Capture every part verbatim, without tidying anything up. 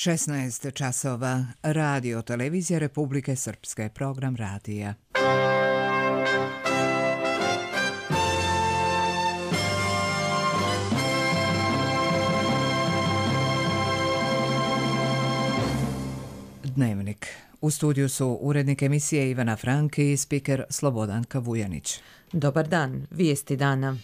šesnaest časova. Radio Televizija Republike Srpske. Program radija. Dnevnik. U studiju su urednik emisije Ivana Franki i spiker Slobodanka Vujanić. Dobar dan, vijesti dana.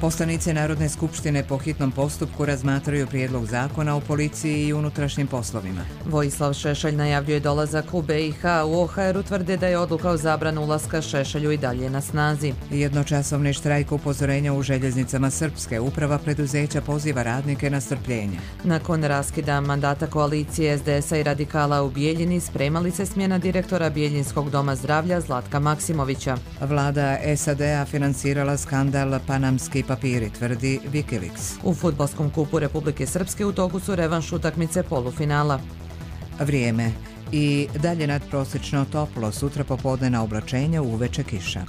Poslanici Narodne skupštine po hitnom postupku razmatraju prijedlog zakona o policiji i unutrašnjim poslovima. Vojislav Šešelj najavljuje dolazak u B i H. U O H R-u tvrde da je odluka o zabranu ulaska Šešelju i dalje na snazi. Jednočasovni štrajk upozorenja u željeznicama Srpske. Uprava preduzeća poziva radnike na strpljenje. Nakon raskida mandata koalicije S D S-a i radikala u Bijeljini spremali se smjena direktora Bijeljinskog doma zdravlja Zlatka Maksimovića. Vlada S A D-a financirala skandal Panamski papiri, tvrdi Wikileaks. U fudbalskom kupu Republike Srpske u toku su revanš utakmice polufinala. Vrijeme. I dalje nadprosječno toplo, sutra popodnevna oblačenja, uveče kiša.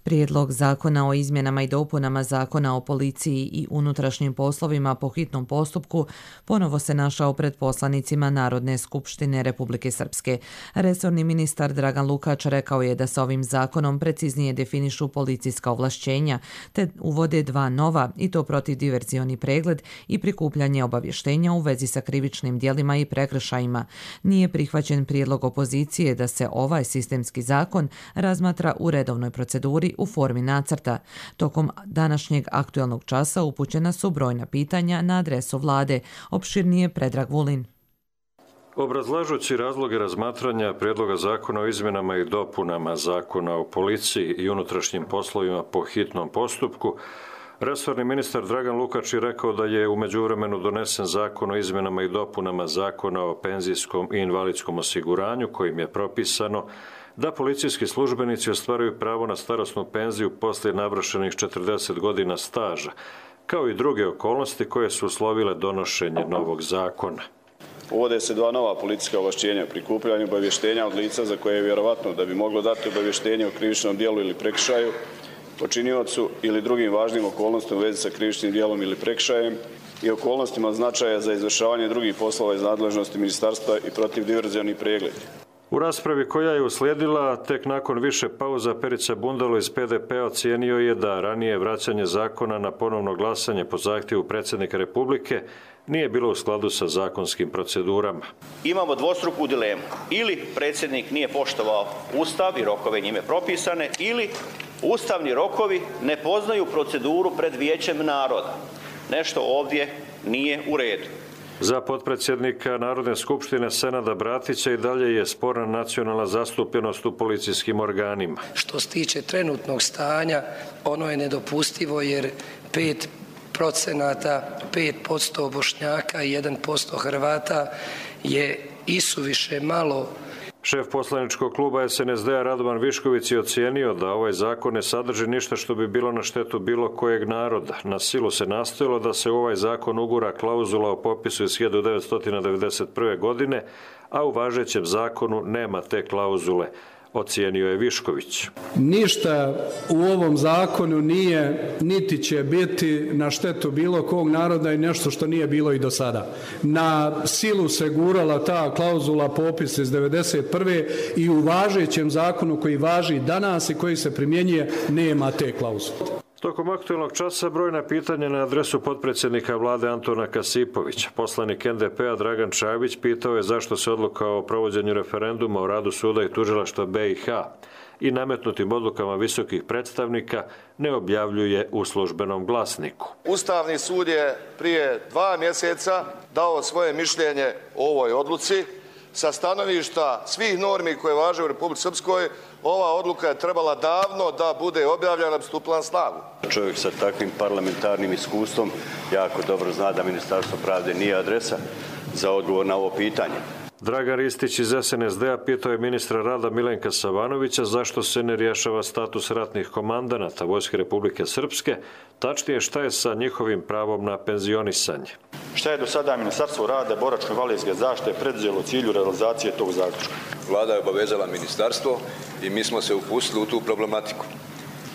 Prijedlog zakona o izmjenama i dopunama zakona o policiji i unutrašnjim poslovima po hitnom postupku ponovo se našao pred poslanicima Narodne skupštine Republike Srpske. Resorni ministar Dragan Lukač rekao je da se ovim zakonom preciznije definišu policijska ovlašćenja, te uvode dva nova, i to protivdiverzioni pregled i prikupljanje obavještenja u vezi sa krivičnim djelima i prekršajima. Nije prihvaćen prijedlog opozicije da se ovaj sistemski zakon razmatra u redovnoj proceduri u formi nacrta. Tokom današnjeg aktualnog časa upućena su brojna pitanja na adresu vlade. Opširnije Predrag Vulin. Obrazlažući razloge razmatranja prijedloga zakona o izmjenama i dopunama zakona o policiji i unutrašnjim poslovima po hitnom postupku, resorni ministar Dragan Lukač je rekao da je u međuvremenu donesen zakon o izmjenama i dopunama zakona o penzijskom i invalidskom osiguranju, kojim je propisano da policijski službenici ostvaruju pravo na starosnu penziju poslije navršenih četrdeset godina staža, kao i druge okolnosti koje su uslovile donošenje novog zakona. Uvode se dva nova policijska ovlašćenja, prikupljanje obavještenja od lica za koje je vjerovatno da bi moglo dati obavještenje o krivičnom djelu ili prekršaju, počiniocu ili drugim važnim okolnostima u vezi sa krivičnim djelom ili prekršajem i okolnostima od značaja za izvršavanje drugih poslova iz nadležnosti ministarstva i protivdiverzioni pregled. U raspravi koja je uslijedila, tek nakon više pauza, Perica Bundalo iz P D P-a ocijenio je da ranije vraćanje zakona na ponovno glasanje po zahtjevu predsjednika Republike nije bilo u skladu sa zakonskim procedurama. Imamo dvostruku dilemu. Ili predsjednik nije poštovao Ustav i rokove njime propisane, ili ustavni rokovi ne poznaju proceduru pred Vijećem naroda. Nešto ovdje nije u redu. Za potpredsjednika Narodne skupštine Senada Bratića i dalje je sporna nacionalna zastupljenost u policijskim organima. Što se tiče trenutnog stanja, ono je nedopustivo jer pet procenata, pet posto Bošnjaka i jedan posto Hrvata je isuviše malo. Šef poslaničkog kluba S N S D-a Radovan Višković je ocijenio da ovaj zakon ne sadrži ništa što bi bilo na štetu bilo kojeg naroda. Na silu se nastojalo da se u ovaj zakon ugura klauzula o popisu iz hiljadu devetsto devedeset prve. godine, a u važećem zakonu nema te klauzule, ocijenio je Višković. Ništa u ovom zakonu nije, niti će biti na štetu bilo kog naroda i nešto što nije bilo i do sada. Na silu se gurala ta klauzula popis iz devedeset prve. i u važećem zakonu koji važi danas i koji se primjenjuje nema te klauzule. Tokom aktualnog časa brojna pitanja na adresu potpredsjednika vlade Antona Kasipovića. Poslanik N D P-a Dragan Čavić pitao je zašto se odluka o provođenju referenduma o radu suda i tužilaštva B i H i nametnutim odlukama visokih predstavnika ne objavljuje u službenom glasniku. Ustavni sud je prije dva mjeseca dao svoje mišljenje o ovoj odluci. Sa stanovišta svih normi koje važe u Republici Srpskoj, ova odluka je trebala davno da bude objavljena i stupila na snagu. Čovjek sa takvim parlamentarnim iskustvom jako dobro zna da Ministarstvo pravde nije adresa za odgovor na ovo pitanje. Dragan Ristić iz S N S D-a pitao je ministra rada Milenka Savanovića zašto se ne rješava status ratnih komandanata Vojske Republike Srpske, tačnije šta je sa njihovim pravom na penzionisanje. Šta je do sada Ministarstvo rada, boračko-invalidske zaštite preduzelo u cilju realizacije tog zaključka? Vlada je obavezala ministarstvo i mi smo se upustili u tu problematiku.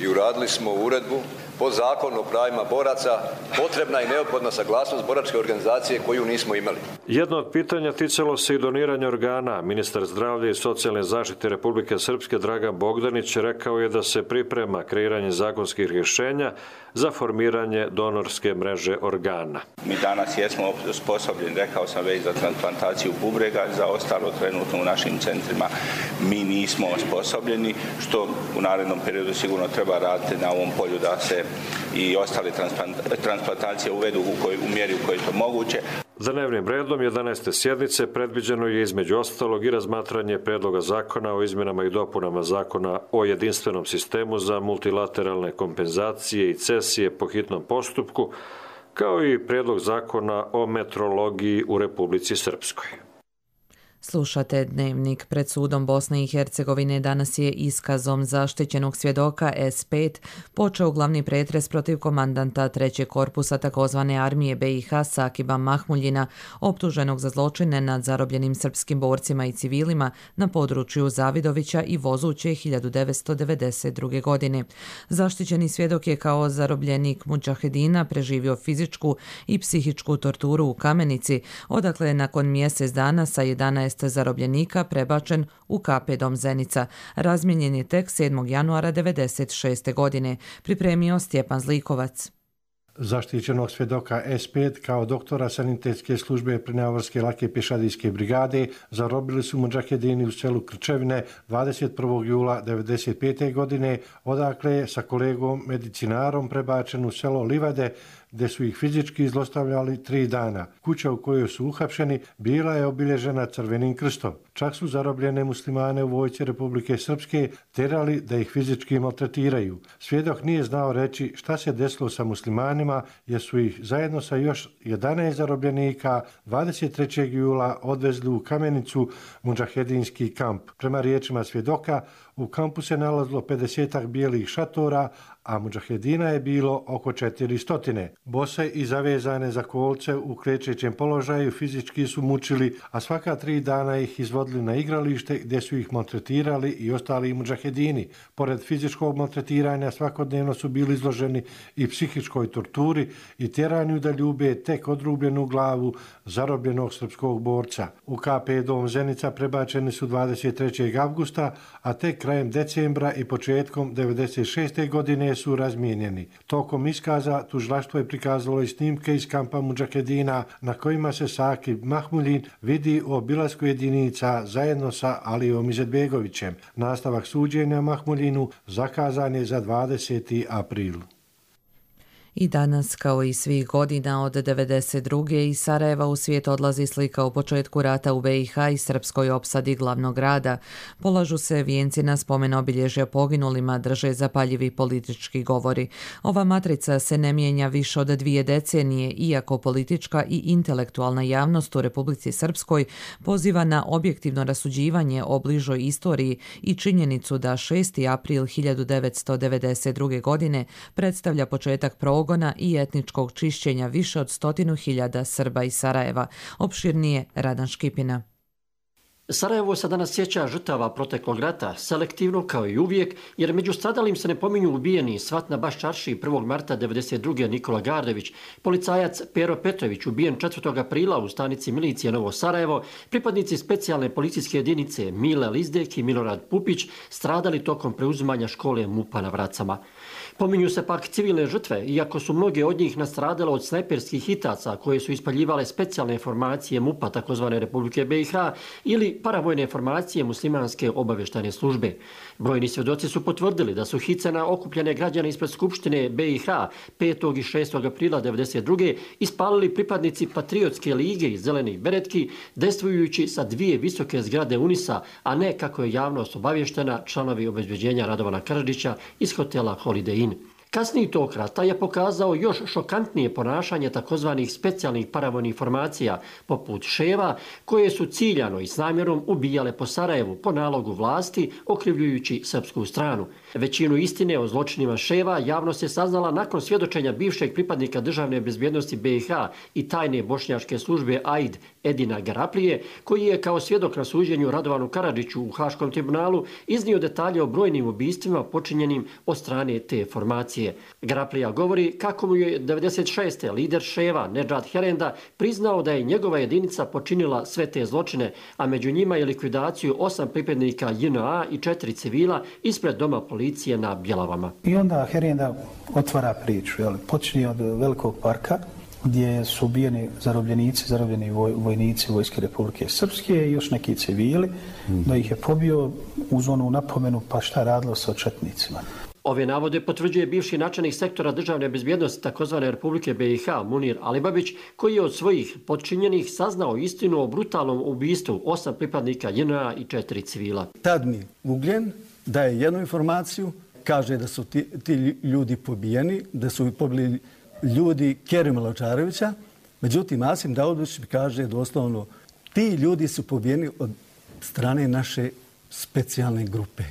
I uradili smo uredbu po zakonu o pravima boraca, potrebna i neophodna saglasnost boračke organizacije koju nismo imali. Jedno od pitanja ticalo se i doniranja organa. Ministar zdravlja i socijalne zaštite Republike Srpske Dragan Bogdanić rekao je da se priprema kreiranje zakonskih rješenja za formiranje donorske mreže organa. Mi danas jesmo sposobljeni, rekao sam već, za transplantaciju bubrega, za ostalo trenutno u našim centrima mi nismo osposobljeni, što u narednom periodu sigurno treba raditi na ovom polju da se i ostale transplantacije uvedu u, koj, u mjeri u kojoj je to moguće. Dnevnim redom jedanaeste sjednice predviđeno je između ostalog i razmatranje predloga zakona o izmjenama i dopunama zakona o jedinstvenom sistemu za multilateralne kompenzacije i cesije po hitnom postupku, kao i predlog zakona o metrologiji u Republici Srpskoj. Slušate Dnevnik. Pred sudom Bosne i Hercegovine danas je iskazom zaštićenog svjedoka S pet počeo glavni pretres protiv komandanta trećeg korpusa takozvane armije B i H Sakiba Mahmuljina, optuženog za zločine nad zarobljenim srpskim borcima i civilima na području Zavidovića i Vozuće hiljadu devetsto devedeset druge. godine. Zaštićeni svjedok je kao zarobljenik mudžahedina preživio fizičku i psihičku torturu u Kamenici, odakle je nakon mjesec dana sa jedanaest zarobljenika prebačen u K P Dom Zenica. Razmijenjen je tek sedmog januara devedeset šeste. godine. Pripremio Stjepan Zlikovac. Zaštićenog svjedoka S pet kao doktora sanitetske službe Prinavorske lake pješadijske brigade zarobili su mudžahedini u selu Krčevine dvadeset prvog jula devedeset pete. godine, odakle je sa kolegom medicinarom prebačen u selo Livade, gdje su ih fizički zlostavljali tri dana. Kuća u kojoj su uhapšeni bila je obilježena crvenim krstom. Čak su zarobljene muslimane u vojsci Republike Srpske terali da ih fizički maltretiraju. Svjedok nije znao reći šta se desilo sa muslimanima, jer su ih zajedno sa još jedanaest zarobljenika dvadeset trećeg jula odvezli u Kamenicu, mudžahedinski kamp. Prema riječima svjedoka, u kampu se nalazilo pedesetak bijelih šatora, a mudžahedina je bilo oko četiristo. Bose i zavezane za kolce u krećećem položaju fizički su mučili, a svaka tri dana ih izvodili na igralište gdje su ih maltretirali i ostali mudžahedini. Pored fizičkog maltretiranja svakodnevno su bili izloženi i psihičkoj torturi i tjeranju da ljube tek odrubljenu glavu zarobljenog srpskog borca. U K P Dom Zenica prebačeni su dvadeset trećeg avgusta, a tek krajem decembra i početkom devedeset šeste. godine su razmijenjeni. Tokom iskaza tužilaštvo je prikazalo i snimke iz kampa mudžahedina na kojima se Sakib Mahmuljin vidi u obilasku jedinica zajedno sa Alijom Izetbegovićem. Nastavak suđenja Mahmuljinu zakazan je za dvadeseti april. I danas, kao i svih godina od devedeset druge. iz Sarajeva u svijet odlazi slika o početku rata u B i H i srpskoj opsadi glavnog grada. Polažu se vijenci na spomen obilježja poginulima, drže zapaljivi politički govori. Ova matrica se ne mijenja više od dvije decenije, iako politička i intelektualna javnost u Republici Srpskoj poziva na objektivno rasuđivanje o bližoj istoriji i činjenicu da šesti april hiljadu devetsto devedeset druge. godine predstavlja početak progona i etničkog čišćenja više od stotinu hiljada Srba iz Sarajeva. Opširnije Radan Škipina. Sarajevo se danas sjeća žrtava proteklog rata, selektivno kao i uvijek, jer među stradalim se ne pominju ubijeni Svat na Baščarši prvog marta devedeset druge. Nikola Gardević, policajac Pero Petrović ubijen četvrtog aprila u stanici milicije Novo Sarajevo, pripadnici specijalne policijske jedinice Mile Lizdek i Milorad Pupić stradali tokom preuzimanja škole MUP-a na Vracama. Pominju se pak civilne žrtve, iako su mnoge od njih nastradale od snajperskih hitaca koje su ispaljivale specijalne formacije MUP-a takozvane Republike B i H ili paravojne formacije muslimanske obavještajne službe. Brojni svjedoci su potvrdili da su hice na okupljene građane ispred Skupštine B i H petog i šestog aprila devedeset druge. ispalili pripadnici Patriotske lige i Zelenih beretki, dejstvujući sa dvije visoke zgrade Unisa, a ne, kako je javnost obavještena, članovi obezbeđenja Radovana Karadžića iz hotela Holiday Inn. Kasniji tok rata je pokazao još šokantnije ponašanje takozvanih specijalnih paravojnih formacija, poput Ševa, koje su ciljano i s namjerom ubijale po Sarajevu po nalogu vlasti, okrivljujući srpsku stranu. Većinu istine o zločinima Ševa javnost je saznala nakon svjedočenja bivšeg pripadnika državne bezbjednosti B i H i tajne bošnjačke službe A I D Edina Garaplije, koji je kao svjedok na suđenju Radovanu Karadžiću u Haškom tribunalu iznio detalje o brojnim ubistvima počinjenim od strane te formacije. Garaplija govori kako mu je devedeset šeste lider Ševa Nedžad Herenda priznao da je njegova jedinica počinila sve te zločine, a među njima je likvidaciju osam pripadnika J N A i četiri civila ispred doma policije na Bjelavama. I onda Herenda otvara priču, jel? Počinje od Velikog parka, gdje su ubijeni zarobljenici, zarobljeni voj, vojnici Vojske Republike Srpske i još neki civili, mm. da ih je pobio uz onu napomenu pa šta radilo sa četnicima. Ove navode potvrđuje bivši načelnik sektora državne bezbjednosti takozvane Republike B i H Munir Alibabić, koji je od svojih podčinjenih saznao istinu o brutalnom ubistvu osam pripadnika J N A i četiri civila. Tad mi Ugljen daje jednu informaciju, kaže da su ti, ti ljudi pobijeni, da su pobili ljudi Kerima Lačarevića, međutim Asim Daudović kaže doslovno ti ljudi su pobijeni od strane naše specijalne grupe.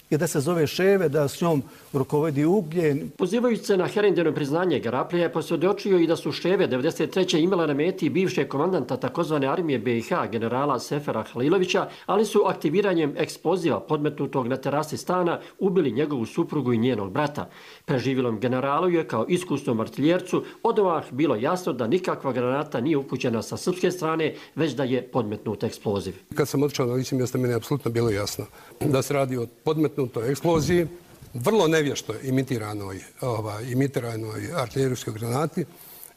I da se zove Ševe, da s njom rukovodi Ugljen. Pozivajući se na Herendino priznanje, Garaplija je posvjedočio i da su Ševe devedeset treće imala na meti bivšeg komandanta takozvane armije B i H generala Sefera Halilovića, ali su aktiviranjem eksploziva podmetnutog na terasi stana ubili njegovu suprugu i njenog brata. Preživilom generalu je kao iskusnom artiljercu odmah bilo jasno da nikakva granata nije upućena sa srpske strane, već da je podmetnut eksploziv. Kad sam otišao na lice mjesta, meni je apsolutno bilo jasno da se radi o podmetnutoj eksploziji, vrlo nevješto imitiranoj, ovaj, imitiranoj artiljerijskoj granati,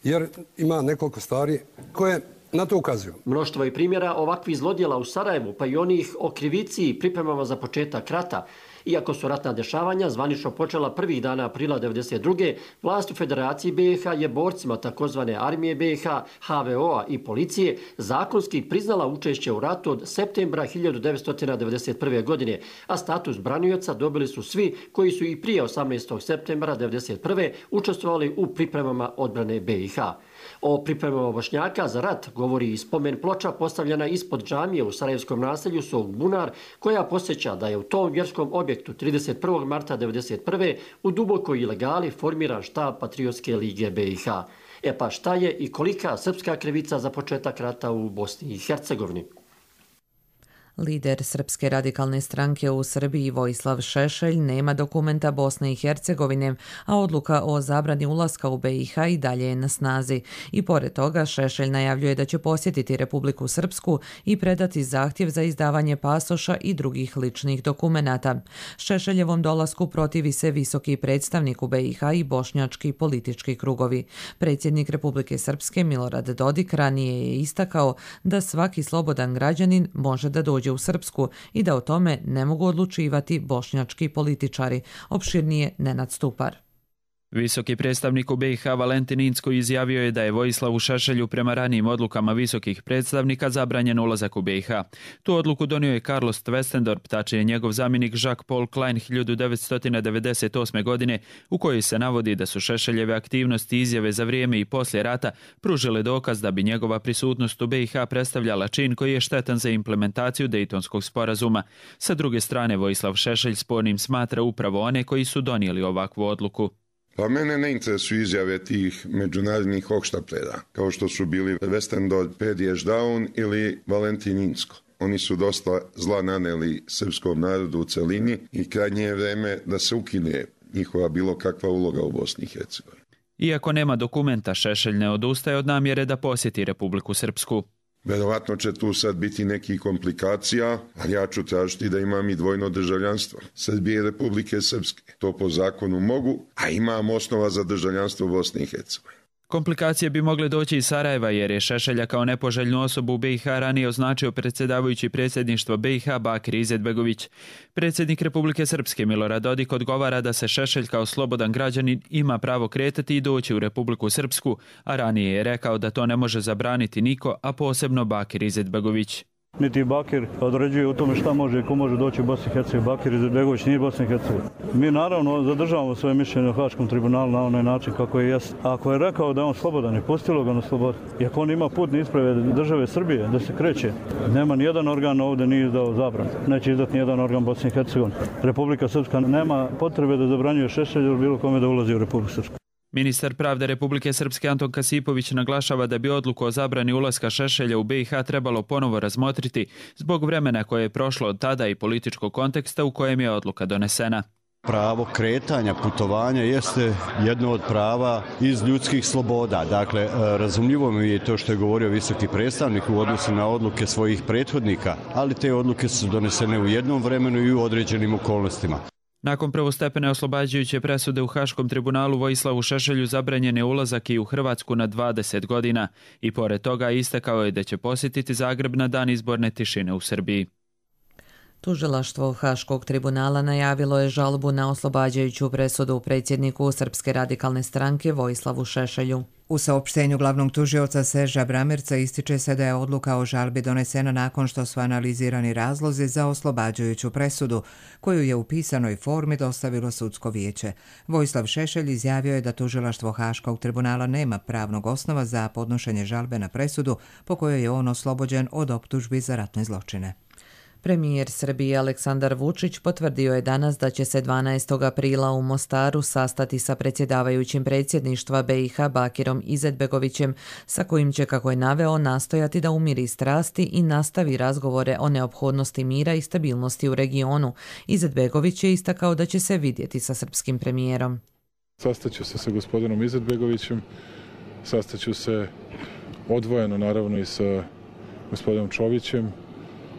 jer ima nekoliko stvari koje na to ukazuju. Mnoštvo je primjera ovakvih zlodjela u Sarajevu, pa i onih o krivici i pripremama za početak rata. Iako su ratna dešavanja zvanično počela prvih dana aprila devedeset druge, vlast u Federaciji B i H je borcima takozvane armije B i H, H V O-a i policije zakonski priznala učešće u ratu od septembra hiljadu devetsto devedeset prve. godine, a status branioca dobili su svi koji su i prije osamnaestog septembra devedeset prve. učestvovali u pripremama odbrane B i H. O pripremama Bošnjaka za rat govori i spomen ploča postavljena ispod džamije u sarajevskom naselju Sog Bunar, koja posjeća da je u tom vjerskom objektu trideset prvog marta devedeset prve. u dubokoj ilegali formiran štab Patriotske lige B i H. E pa šta je i kolika srpska krivica za početak rata u Bosni i Hercegovini? Lider Srpske radikalne stranke u Srbiji Vojislav Šešelj nema dokumenta Bosne i Hercegovine, a odluka o zabrani ulaska u B i H i dalje je na snazi. I pored toga Šešelj najavljuje da će posjetiti Republiku Srpsku i predati zahtjev za izdavanje pasoša i drugih ličnih dokumenata. Šešeljevom dolasku protivi se visoki predstavnik u B i H i bošnjački politički krugovi. Predsjednik Republike Srpske Milorad Dodik ranije je istakao da svaki slobodan građanin može da dođe u Srpsku i da o tome ne mogu odlučivati bošnjački političari. Opširnije Nenad Stupar. Visoki predstavnik u B i H Valentin Incko izjavio je da je Vojislavu Šešelju prema ranijim odlukama visokih predstavnika zabranjen ulazak u B i H. Tu odluku donio je Carlos Twestendorp, tačnije njegov zamjenik Jacques-Paul Klein hiljadu devetsto devedeset osme. godine, u kojoj se navodi da su Šešeljeve aktivnosti i izjave za vrijeme i poslije rata pružile dokaz da bi njegova prisutnost u B i H predstavljala čin koji je štetan za implementaciju Dejtonskog sporazuma. Sa druge strane, Vojislav Šešelj spornim smatra upravo one koji su donijeli ovakvu odluku. Pa mene ne interesuju izjave tih međunarodnih hohštaplera, kao što su bili Westendorp, Pediješ Daun ili Valentin Incko. Oni su dosta zla naneli srpskom narodu u celini i krajnje je vreme da se ukine njihova bilo kakva uloga u Bosni i Hercegovini. Iako nema dokumenta, Šešelj ne odustaje od namjere da posjeti Republiku Srpsku. Verovatno će tu sad biti nekih komplikacija, ali ja ću tražiti da imam i dvojno državljanstvo Srbije i Republike Srpske. To po zakonu mogu, a imam osnova za državljanstvo Bosne i Hercegovine. Komplikacije bi mogle doći iz Sarajeva jer je Šešelja kao nepoželjnu osobu u B i H ranije označio predsjedavajući predsjedništvo B i H Bakir Izetbegović. Predsjednik Republike Srpske Milorad Dodik odgovara da se Šešelj kao slobodan građanin ima pravo kretati i doći u Republiku Srpsku, a ranije je rekao da to ne može zabraniti niko, a posebno Bakir Izetbegović. Niti Bakir određuje u tome šta može i ko može doći u Bosni i Hercegovini. Bakir Izetbegović nije Bosna i Hercegovina. Mi naravno zadržavamo svoje mišljenje o Haškom tribunalu na onaj način kako je jest. Ako je rekao da je on slobodan i pustilo ga na slobodu, i ako on ima putne isprave države Srbije da se kreće, nema nijedan organ ovdje nije izdao zabranu. Neće izdati nijedan organ Bosne i Hercegovine. Republika Srpska nema potrebe da zabranjuje Šešelju ili bilo kome da ulazi u Republiku Srpsku. Ministar pravde Republike Srpske Anton Kasipović naglašava da bi odluku o zabrani ulaska Šešelja u B i H trebalo ponovo razmotriti zbog vremena koje je prošlo od tada i političkog konteksta u kojem je odluka donesena. Pravo kretanja, putovanja jeste jedno od prava iz ljudskih sloboda. Dakle, razumljivo mi je to što je govorio visoki predstavnik u odnosu na odluke svojih prethodnika, ali te odluke su donesene u jednom vremenu i u određenim okolnostima. Nakon prvostepene oslobađajuće presude u Haškom tribunalu Vojislavu Šešelju zabranjen je ulazak i u Hrvatsku na dvadeset godina i pored toga istakao je da će posjetiti Zagreb na dan izborne tišine u Srbiji. Tužilaštvo Haškog tribunala najavilo je žalbu na oslobađajuću presudu predsjedniku Srpske radikalne stranke Vojislavu Šešelju. U saopštenju glavnog tužioca Serža Bramerca ističe se da je odluka o žalbi donesena nakon što su analizirani razlozi za oslobađajuću presudu, koju je u pisanoj formi dostavilo sudsko vijeće. Vojislav Šešelj izjavio je da tužilaštvo Haškog tribunala nema pravnog osnova za podnošenje žalbe na presudu po kojoj je on oslobođen od optužbi za ratne zločine. Premijer Srbije Aleksandar Vučić potvrdio je danas da će se dvanaestog aprila u Mostaru sastati sa predsjedavajućim predsjedništva B i H Bakirom Izetbegovićem, sa kojim će, kako je naveo, nastojati da umiri strasti i nastavi razgovore o neophodnosti mira i stabilnosti u regionu. Izetbegović je istakao da će se vidjeti sa srpskim premijerom. Sastaću se sa gospodinom Izetbegovićem, sastaću se odvojeno naravno i sa gospodinom Čovićem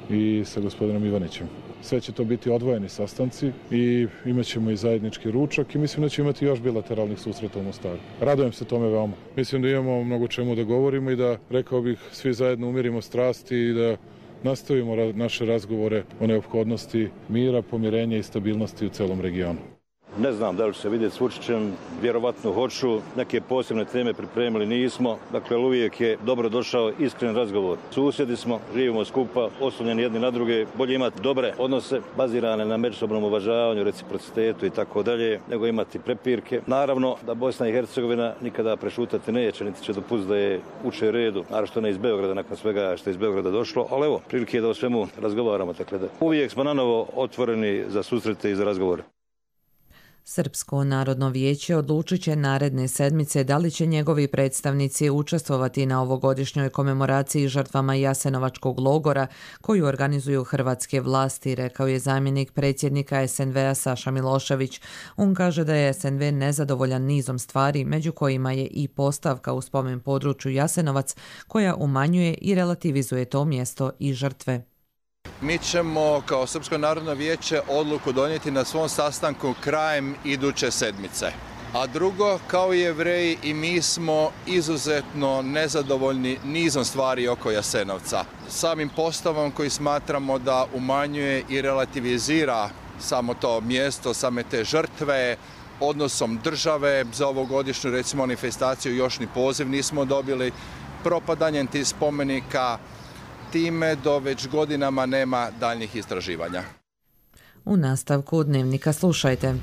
i sa gospodinom Ivanićem. Sve će to biti odvojeni sastanci i imat ćemo i zajednički ručak i mislim da ćemo imati još bilateralnih susreta u Mostaru. Radujem se tome veoma. Mislim da imamo mnogo čemu da govorimo i da, rekao bih, svi zajedno umirimo strasti i da nastavimo naše razgovore o neophodnosti mira, pomirenja i stabilnosti u celom regionu. Ne znam da li ću se vidjeti s Vučićem, vjerovatno hoću, neke posebne teme pripremili nismo, dakle uvijek je dobro došao iskren razgovor. Susjedi smo, živimo skupa, oslonjeni jedni na druge, bolje imati dobre odnose, bazirane na međusobnom uvažavanju, reciprocitetu i tako dalje, nego imati prepirke. Naravno da Bosna i Hercegovina nikada prešutati neće, niti će dopustiti da je uče redu, naravno ne iz Beograda, nakon svega što je iz Beograda došlo, ali evo, prilike je da o svemu razgovaramo, dakle da uvijek smo nanovo otvoreni za susrete i za razgovore. Srpsko narodno vijeće odlučit će naredne sedmice da li će njegovi predstavnici učestvovati na ovogodišnjoj komemoraciji žrtvama Jasenovačkog logora koju organizuju hrvatske vlasti, rekao je zamjenik predsjednika S N V-a Saša Milošević. On kaže da je S N V nezadovoljan nizom stvari, među kojima je i postavka u spomen području Jasenovac koja umanjuje i relativizuje to mjesto i žrtve. Mi ćemo kao Srpsko narodno vijeće odluku donijeti na svom sastanku krajem iduće sedmice. A drugo, kao i Jevreji i mi smo izuzetno nezadovoljni nizom stvari oko Jasenovca. Samim postavom koji smatramo da umanjuje i relativizira samo to mjesto, same te žrtve, odnosom države za ovogodišnju recimo manifestaciju još ni poziv nismo dobili, propadanjem tih spomenika, time do već godinama nema daljnjih istraživanja. U nastavku Dnevnika slušajte.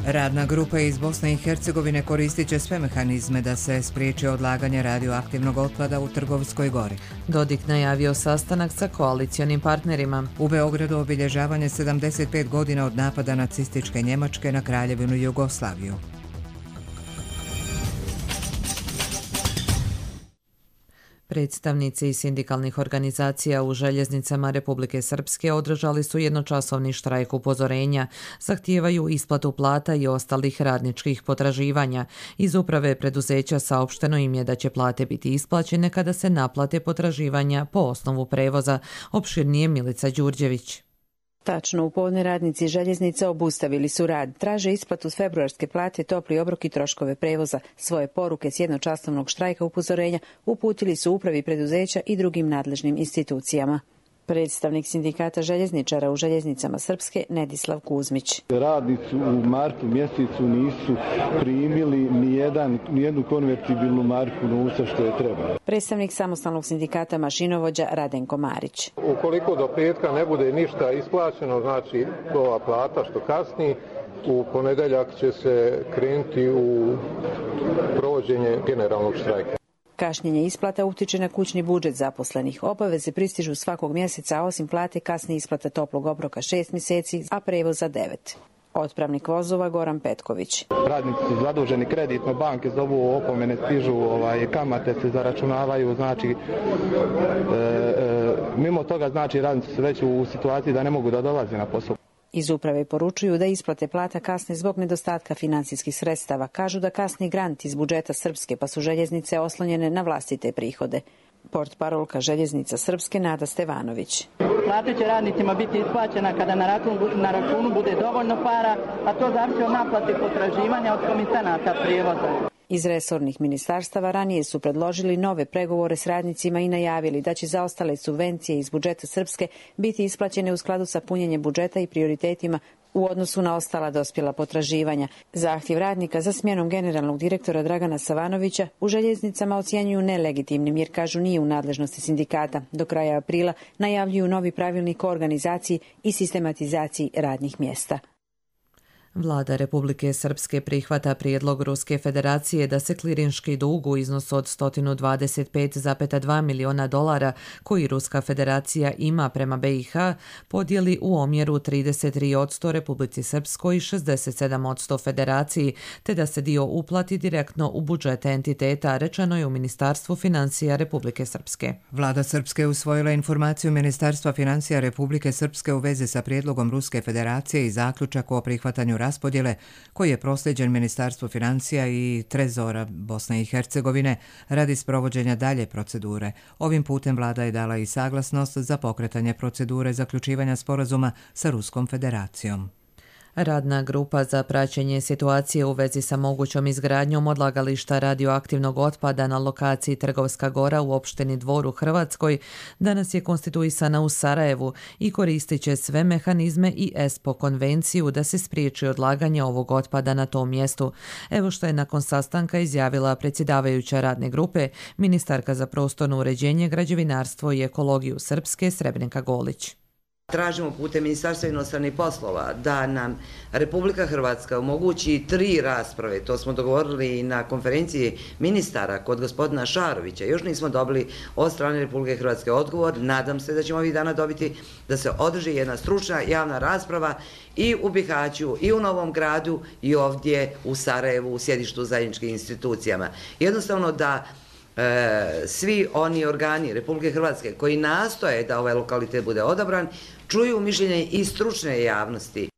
Radna grupa iz Bosne i Hercegovine koristit će sve mehanizme da se spriječi odlaganje radioaktivnog otpada u Trgovskoj gori. Dodik najavio sastanak sa koalicionim partnerima. U Beogradu obilježavanje sedamdeset pet godina od napada nacističke Njemačke na Kraljevinu Jugoslaviju. Predstavnici sindikalnih organizacija u željeznicama Republike Srpske održali su jednočasovni štrajk upozorenja, zahtijevaju isplatu plata i ostalih radničkih potraživanja. Iz uprave preduzeća saopšteno im je da će plate biti isplaćene kada se naplate potraživanja po osnovu prevoza. Opširnije Milica Đurđević. Tačno u podne radnici željeznica obustavili su rad. Traže isplatu februarske plate, topli obrok i troškove prevoza. Svoje poruke s jednočasovnog štrajka upozorenja uputili su upravi preduzeća i drugim nadležnim institucijama. Predstavnik sindikata željezničara u željeznicama Srpske Nedislav Kuzmić. Radnici u martu mjesecu nisu primili nijedan, nijednu konvertibilnu marku novca što je trebalo. Predstavnik samostalnog sindikata mašinovođa Radenko Marić. Ukoliko do petka ne bude ništa isplaćeno, znači ova plata što kasni, u ponedeljak će se krenuti u provođenje generalnog štrajka. Kašnjenje isplata utiče na kućni budžet zaposlenih. Obaveze pristižu svakog mjeseca, a osim plate kasni isplata toplog obroka šest mjeseci, a prevoza devet. Otpravnik vozova Goran Petković. Radnici su zaduženi kreditno, banke zovu, opomene stižu, ovaj, kamate se zaračunavaju, znači e, e, mimo toga znači radnici su već u situaciji da ne mogu da dolaze na posao. Iz uprave poručuju da isplate plata kasne zbog nedostatka financijskih sredstava. Kažu da kasni grant iz budžeta Srpske, pa su željeznice oslonjene na vlastite prihode. Portparolka željeznica Srpske Nada Stevanović. Plata će radnicima biti isplaćena kada na računu, na računu bude dovoljno para, a to zavisi od naplate potraživanja od komisionata prijevoza. Iz resornih ministarstava ranije su predložili nove pregovore s radnicima i najavili da će zaostale subvencije iz budžeta Srpske biti isplaćene u skladu sa punjenjem budžeta i prioritetima u odnosu na ostala dospjela potraživanja. Zahtjev radnika za smjenom generalnog direktora Dragana Savanovića u željeznicama ocjenjuju nelegitimnim jer kažu nije u nadležnosti sindikata. Do kraja aprila najavljuju novi pravilnik o organizaciji i sistematizaciji radnih mjesta. Vlada Republike Srpske prihvata prijedlog Ruske federacije da se klirinški dug u iznosu od sto dvadeset pet zarez dva miliona dolara koji Ruska federacija ima prema B i H podijeli u omjeru trideset tri posto Republici Srpskoj i šezdeset sedam posto federaciji, te da se dio uplati direktno u budžete entiteta, rečeno je u Ministarstvu financija Republike Srpske. Vlada Srpske usvojila informaciju Ministarstva financija Republike Srpske u vezi sa prijedlogom Ruske federacije i zaključak o prihvatanju raspodjele koji je prosljeđen Ministarstvu financija i Trezora Bosne i Hercegovine radi sprovođenja dalje procedure. Ovim putem vlada je dala i saglasnost za pokretanje procedure zaključivanja sporazuma sa Ruskom federacijom. Radna grupa za praćenje situacije u vezi sa mogućom izgradnjom odlagališta radioaktivnog otpada na lokaciji Trgovska Gora u opštini Dvor u Hrvatskoj danas je konstituisana u Sarajevu i koristit će sve mehanizme i E S P O konvenciju da se spriječi odlaganje ovog otpada na tom mjestu. Evo što je nakon sastanka izjavila predsjedavajuća radne grupe, ministarka za prostorno uređenje, građevinarstvo i ekologiju Srpske Srebrenka Golić. Tražimo putem Ministarstva inostranih poslova da nam Republika Hrvatska omogući tri rasprave, to smo dogovorili i na konferenciji ministara kod gospodina Šarovića. Još nismo dobili od strane Republike Hrvatske odgovor, nadam se da ćemo ovih dana dobiti da se održi jedna stručna javna rasprava i u Bihaću i u Novom Gradu i ovdje u Sarajevu u sjedištu zajedničkih institucijama. Jednostavno da E, svi oni organi Republike Hrvatske koji nastoje da ovaj lokalitet bude odabran, čuju mišljenje i stručne javnosti.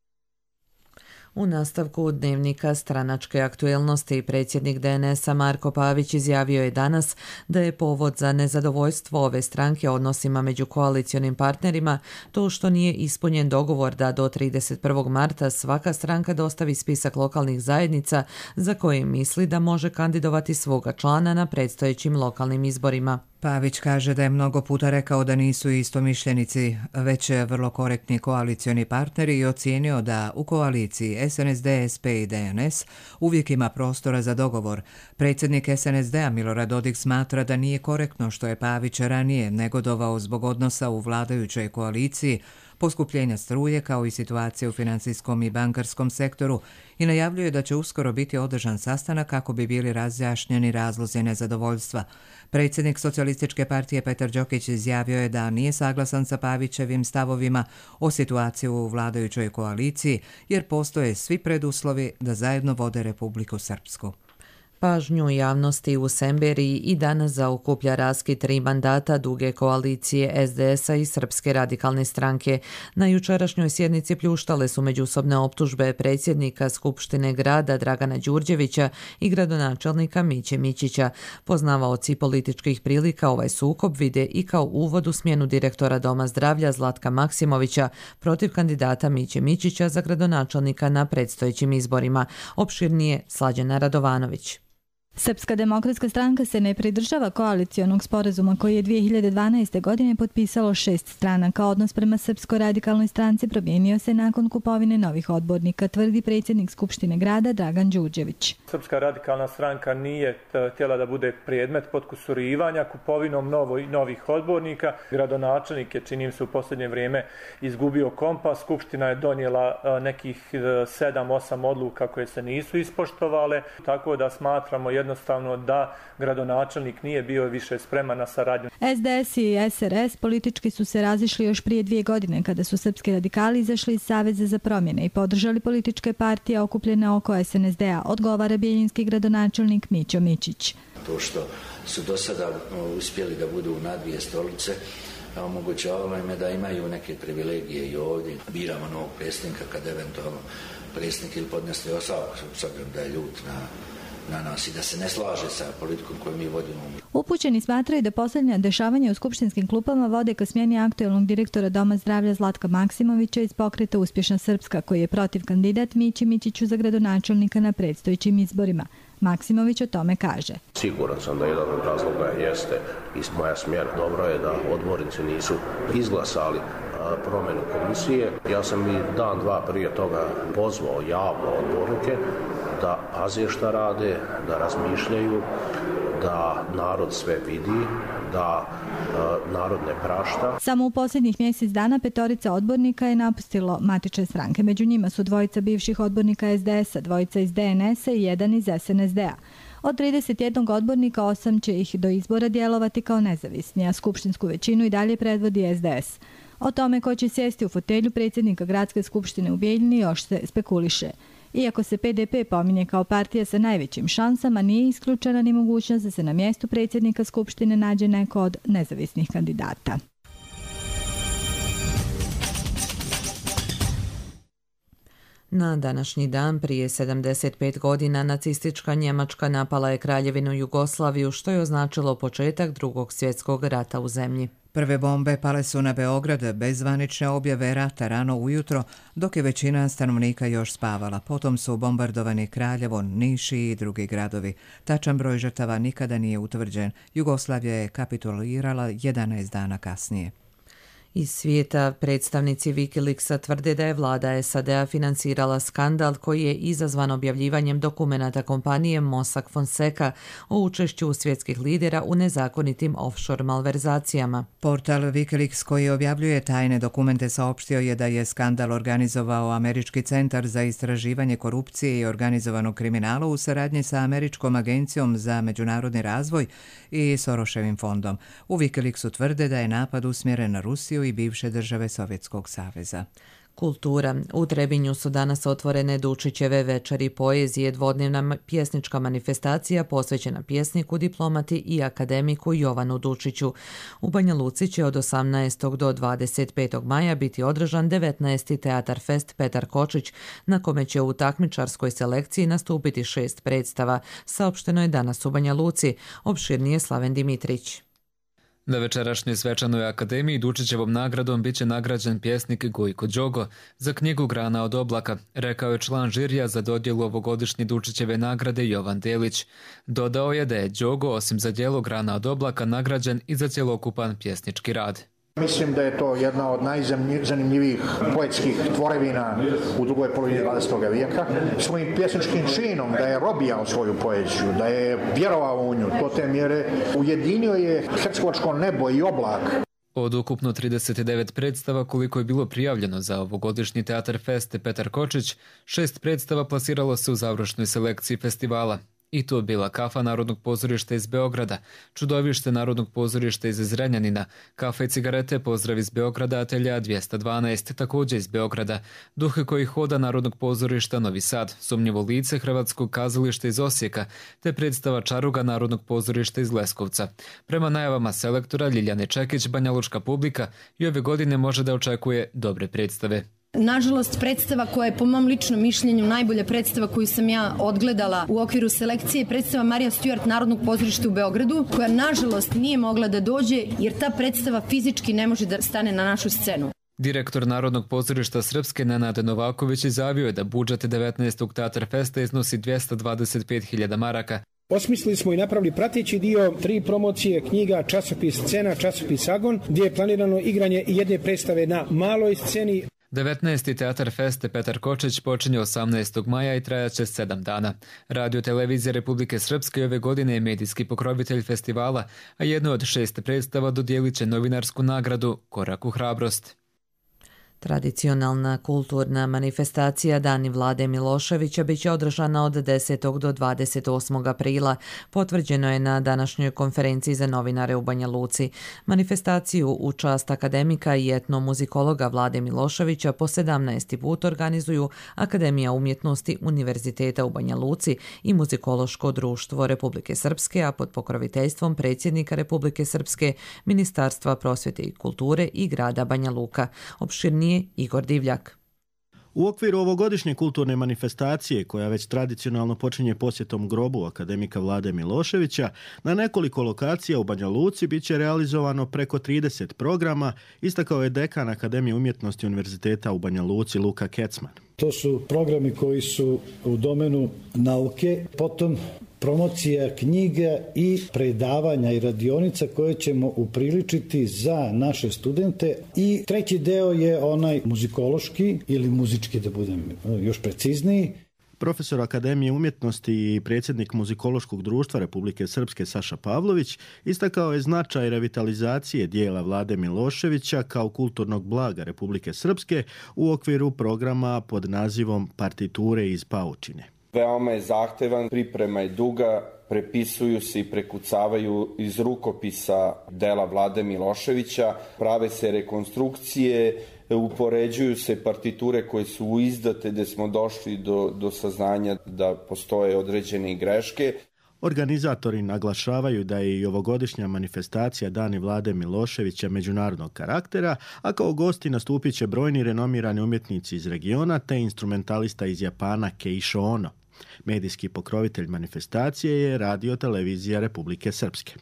U nastavku dnevnika stranačke aktuelnosti predsjednik D N S-a Marko Pavić izjavio je danas da je povod za nezadovoljstvo ove stranke odnosima među koalicionim partnerima to što nije ispunjen dogovor da do trideset prvog marta svaka stranka dostavi spisak lokalnih zajednica za koje misli da može kandidovati svoga člana na predstojećim lokalnim izborima. Pavić kaže da je mnogo puta rekao da nisu istomišljenici, već vrlo korektni koalicioni partneri i ocijenio da u koaliciji S N S D, S P i D N S uvijek ima prostora za dogovor. Predsjednik S N S D-a Milorad Dodik smatra da nije korektno što je Pavić ranije negodovao zbog odnosa u vladajućoj koaliciji, poskupljenja struje kao i situacije u financijskom i bankarskom sektoru i najavljuje da će uskoro biti održan sastanak kako bi bili razjašnjeni razlozi nezadovoljstva. Predsjednik Socijalističke partije Petar Đokić izjavio je da nije saglasan sa Pavićevim stavovima o situaciji u vladajućoj koaliciji jer postoje svi preduslovi da zajedno vode Republiku Srpsku. Pažnju javnosti u Semberiji i danas zaokuplja raskid tri mandata duge koalicije S D S-a i Srpske radikalne stranke. Na jučerašnjoj sjednici pljuštale su međusobne optužbe predsjednika Skupštine grada Dragana Đurđevića i gradonačelnika Miće Mićića. Poznavaoci političkih prilika ovaj sukob vide i kao uvod u smjenu direktora Doma zdravlja Zlatka Maksimovića protiv kandidata Miće Mićića za gradonačelnika na predstojećim izborima. Opširnije Slađana Radovanović. Srpska demokratska stranka se ne pridržava koalicionog sporazuma koji je dvije hiljade dvanaeste. godine potpisalo šest stranaka. Odnos prema Srpskoj radikalnoj stranci promijenio se nakon kupovine novih odbornika, tvrdi predsjednik Skupštine grada Dragan Đurđević. Srpska radikalna stranka nije htjela da bude predmet potkusurivanja kupovinom novo, novih odbornika. Gradonačelnik je, činim se, u posljednje vrijeme izgubio kompas. Skupština je donijela nekih sedam osam odluka koje se nisu ispoštovale, tako da smatramo jedno jednostavno da gradonačelnik nije bio više spreman na saradnju. S D S i S R S politički su se razišli još prije dvije godine kada su srpski radikali izašli iz Saveza za promjene i podržali političke partije okupljene oko S N S D-a, odgovara bijeljinski gradonačelnik Mićo Mičić. To što su do sada uspjeli da budu na dvije stolice, omogućavalo im da imaju neke privilegije i ovdje. Biramo novog predsjednika kad eventualno predsjednik ili podnese ostavku, s obzirom da je ljut na na nas i da se ne slaže sa politikom koju mi vodimo. Upućeni smatraju da posljednja dešavanja u skupštinskim klupama vode ka smjeni aktuelnog direktora Doma zdravlja Zlatka Maksimovića iz pokreta Uspješna Srpska, koji je protiv kandidat Mići Mićiću za gradonačelnika na predstojećim izborima. Maksimović o tome kaže. Siguran sam da jedan od razloga jeste i moja smjera. Dobro je da odbornici nisu izglasali promjenu komisije. Ja sam i dan, dva prije toga pozvao javno odbornike da paze šta rade, da razmišljaju, da narod sve vidi, da e, narod ne prašta. Samo u posljednjih mjesec dana petorica odbornika je napustilo matične stranke. Među njima su dvojica bivših odbornika S D S-a, dvojica iz D N S-a i jedan iz S N S D-a. Od trideset jednog odbornika osam će ih do izbora djelovati kao nezavisni, a skupštinsku većinu i dalje predvodi S D S. O tome ko će sjesti u fotelju predsjednika Gradske skupštine u Bijeljini još se spekuliše. Iako se P D P pominje kao partija sa najvećim šansama, nije isključena ni mogućnost da se na mjestu predsjednika Skupštine nađe neko od nezavisnih kandidata. Na današnji dan prije sedamdeset pet godina nacistička Njemačka napala je Kraljevinu Jugoslaviju, što je označilo početak Drugog svjetskog rata u zemlji. Prve bombe pale su na Beograd bez zvanične objave rata rano ujutro, dok je većina stanovnika još spavala. Potom su bombardovani Kraljevo, Niš i drugi gradovi. Tačan broj žrtava nikada nije utvrđen. Jugoslavija je kapitulirala jedanaest dana kasnije. Iz svijeta predstavnici Wikileaksa tvrde da je vlada S A D-a financirala skandal koji je izazvan objavljivanjem dokumenata kompanije Mossack Fonseca o učešću svjetskih lidera u nezakonitim offshore malverzacijama. Portal Wikileaks koji objavljuje tajne dokumente saopštio je da je skandal organizovao Američki centar za istraživanje korupcije i organizovanog kriminala u saradnji sa Američkom agencijom za međunarodni razvoj i Soroševim fondom. U Wikileaksu tvrde da je napad usmjeren na Rusiju i bivše države Sovjetskog saveza. Kultura. U Trebinju su danas otvorene Dučićeve večeri poezije, dvodnevna pjesnička manifestacija posvećena pjesniku, diplomati i akademiku Jovanu Dučiću. U Banja Luci će od osamnaestog do dvadeset petog maja biti održan devetnaesti Teatar Fest Petar Kočić, na kome će u takmičarskoj selekciji nastupiti šest predstava, saopšteno je danas u Banja Luci. Opširnije Slaven Dimitrić. Na večerašnjoj svečanoj akademiji Dučićevom nagradom biće nagrađen pjesnik Gojko Đogo za knjigu Grana od oblaka, rekao je član žirija za dodjelu ovogodišnje Dučićeve nagrade Jovan Delić. Dodao je da je Đogo osim za djelo Grana od oblaka nagrađen i za cjelokupan pjesnički rad. Mislim da je to jedna od najzanimljivijih poetskih tvorevina u drugoj polovini dvadesetog vijeka. Svojim pjesničkim činom da je robijao svoju poeziju, da je vjerovao u nju, do te mjere ujedinio je hercegovačko nebo i oblak. Od ukupno trideset devet predstava koliko je bilo prijavljeno za ovogodišnji Teatar Fest Petar Kočić, šest predstava plasiralo se u završnoj selekciji festivala. I to bila Kafa Narodnog pozorišta iz Beograda, Čudovište Narodnog pozorišta iz Zrenjanina, Kafa i cigarete Pozdrav iz Beograda Atelja dvjesto dvanaest, također iz Beograda, Duhe koji hoda Narodnog pozorišta Novi Sad, Sumnjivo lice Hrvatskog kazališta iz Osijeka, te predstava Čaruga Narodnog pozorišta iz Leskovca. Prema najavama selektora Ljiljane Čekić, banjalučka publika i ove godine može da očekuje dobre predstave. Nažalost, predstava koja je po mom ličnom mišljenju najbolja predstava koju sam ja odgledala u okviru selekcije je predstava Marija Stewart Narodnog pozorišta u Beogradu, koja nažalost nije mogla da dođe jer ta predstava fizički ne može da stane na našu scenu. Direktor Narodnog pozorišta Srpske Nenad Novaković izjavio je da budžet devetnaestog Teatar Festa iznosi dvjesto dvadeset pet hiljada maraka. Osmislili smo i napravili prateći dio, tri promocije knjiga, časopis Scena, časopis Agon, gdje je planirano igranje i jedne predstave na maloj sceni. devetnaesti. Teatar Feste Petar Kočić počinje osamnaestog maja i trajaće sedam dana. Radio Televizija Republike Srpske ove godine je medijski pokrovitelj festivala, a jedno od šest predstava dodijelit će novinarsku nagradu Korak u hrabrost. Tradicionalna kulturna manifestacija Dani Vlade Miloševića bit će održana od desetog do dvadeset osmog aprila, potvrđeno je na današnjoj konferenciji za novinare u Banja Luci. Manifestaciju u čast akademika i etnomuzikologa Vlade Miloševića po sedamnaesti put organizuju Akademija umjetnosti Univerziteta u Banja Luci i Muzikološko društvo Republike Srpske, a pod pokroviteljstvom predsjednika Republike Srpske, Ministarstva prosvjete i kulture i grada Banja Luka. Opširnije Igor Divljak. U okviru ovogodišnje kulturne manifestacije, koja već tradicionalno počinje posjetom grobu akademika Vlade Miloševića, na nekoliko lokacija u Banja Luci bit će realizovano preko trideset programa, istakao je dekan Akademije umjetnosti Univerziteta u Banja Luci Luka Kecman. To su programi koji su u domenu nauke, potom promocija knjiga i predavanja i radionica koje ćemo upriličiti za naše studente. I treći deo je onaj muzikološki ili muzički, da budem još precizniji. Profesor Akademije umjetnosti i predsjednik Muzikološkog društva Republike Srpske Saša Pavlović istakao je značaj revitalizacije dijela Vlade Miloševića kao kulturnog blaga Republike Srpske u okviru programa pod nazivom Partiture iz paučine. Veoma je zahtevan, priprema je duga, prepisuju se i prekucavaju iz rukopisa dela Vlade Miloševića, prave se rekonstrukcije, upoređuju se partiture koje su izdate, gdje smo došli do, do saznanja da postoje određene greške. Organizatori naglašavaju da je i ovogodišnja manifestacija Dani Vlade Miloševića međunarodnog karaktera, a kao gosti nastupit će brojni renomirani umjetnici iz regiona te instrumentalista iz Japana Keisho Ono. Medijski pokrovitelj manifestacije je Radio Televizija Republike Srpske.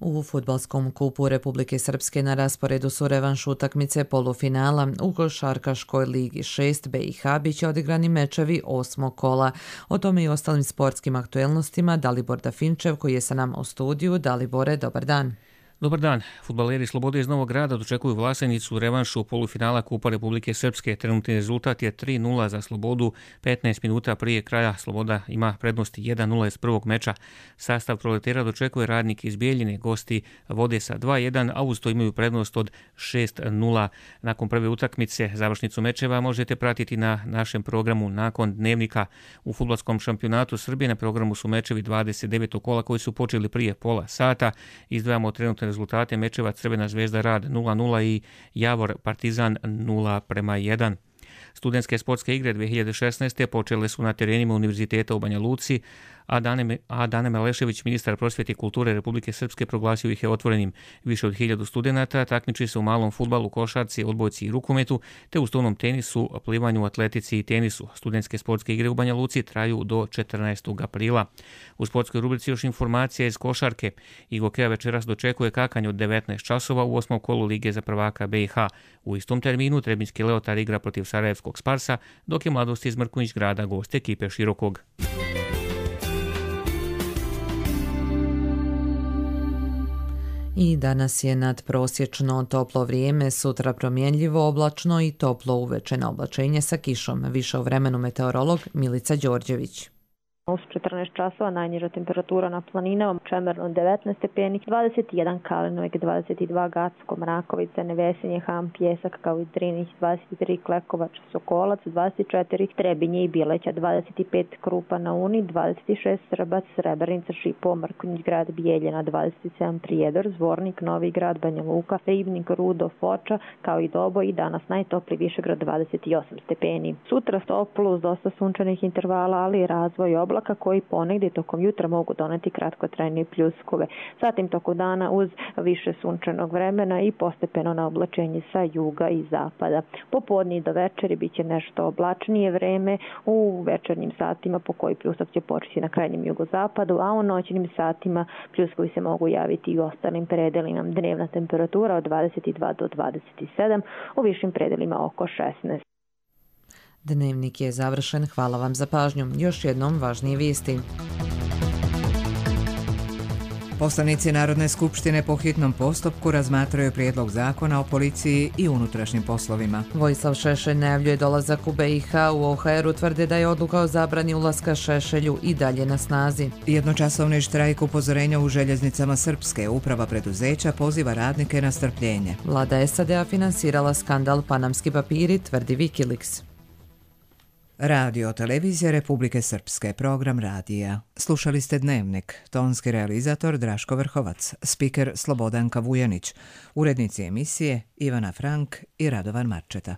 U fudbalskom kupu Republike Srpske na rasporedu su revanš utakmice polufinala. U košarkaškoj ligi šest B i H biće odigrani mečevi osmog kola. O tome i ostalim sportskim aktuelnostima Dalibor Dafinčev koji je sa nama u studiju. Dalibore, dobar dan. Dobar dan. Fudbaleri Slobode iz Novog Grada dočekuju Vlasenicu u revanšu polufinala Kupa Republike Srpske. Trenutni rezultat je tri nula za Slobodu. petnaest minuta prije kraja Sloboda ima prednosti jedan nula iz prvog meča. Sastav Proletera dočekuje Radnik iz Bijeljine. Gosti vode sa dva jedan, a uz to imaju prednost od šest nula. Nakon prve utakmice završnicu mečeva možete pratiti na našem programu nakon dnevnika. U fudbalskom šampionatu Srbije na programu su mečevi dvadeset devetog kola koji su počeli prije pola sata. Izdvajamo trenutne rezultate mečeva Crvena zvezda Rad nula nula i Javor Partizan nula prema jedan. Studentske sportske igre dve hiljade šesnaeste. počele su na terenima Univerziteta u Banja Luci, a Dane, a Dane Malešević, ministar prosvjete i kulture Republike Srpske, proglasio ih je otvorenim. Više od hiljadu studenata takmiči se u malom fudbalu, košarci, odbojci i rukometu, te u stolnom tenisu, plivanju, atletici i tenisu. Studentske sportske igre u Banja Luci traju do četrnaestog aprila. U sportskoj rubrici još informacija iz košarke. Igokea večeras dočekuje Kakanj od devetnaest časova u osmom kolu Lige za prvaka B i H. U istom terminu Trebinjski Leotar igra protiv Sarajevskog Sparsa, dok je Mladost iz Mrkonjić Grada gost ekipe Širokog. I danas je nadprosječno toplo vrijeme, sutra promjenljivo oblačno i toplo uveče na oblačenje sa kišom. Više o vremenu meteorolog Milica Đorđević. U četrnaest časova najniža temperatura na planinama, Čemerno devetnaest stepeni, dvadeset jedan Kalinojke, dvadeset dva Gacko, Mrakovica, Nevesinje, Ham, Pjesak, kao i Drinić, dvadeset tri Klekovač, Sokolac, dvadeset četiri Trebinje i Bileća, dvadeset pet Krupa na Uni, dvadeset šest Srbac, Srebrenica, Šipo, Mrkonjić Grad, Bijeljina, dvadeset sedam Prijedor, Zvornik, Novi Grad, Banja Luka, Ribnik, Rudo, Foča, kao i Doboj i danas najtopliji Višegrad dvadeset osam stepeni. Sutra toplo uz dosta sunčanih intervala, ali i razvoj oblaka koji ponegdje tokom jutra mogu doneti kratkotrajne pljuskove. Zatim tokom dana uz više sunčanog vremena i postepeno na oblačenje sa juga i zapada. Popodne do večeri bit će nešto oblačnije vreme, u večernjim satima po koji pljusak će početi na krajnjem jugozapadu, a u noćnim satima pljuskovi se mogu javiti i u ostalim predelima. Dnevna temperatura od dvadeset dva do dvadeset sedam, u višim predelima oko šesnaest. Dnevnik je završen, hvala vam za pažnju. Još jednom važnije vijesti. Poslanici Narodne skupštine po hitnom postupku razmatraju prijedlog zakona o policiji i unutrašnjim poslovima. Vojislav Šešelj najavljuje dolazak u B i H. U O H R-u tvrde da je odluka o zabrani ulaska Šešelju i dalje na snazi. Jednočasovni štrajk upozorenja u željeznicama Srpske. Uprava preduzeća poziva radnike na strpljenje. Vlada S A D-a finansirala skandal Panamski papiri, tvrdi Wikileaks. Radio televizija Republike Srpske, program radija. Slušali ste Dnevnik, tonski realizator Draško Vrhovac, spiker Slobodanka Vujanić, urednici emisije Ivana Frank i Radovan Marčeta.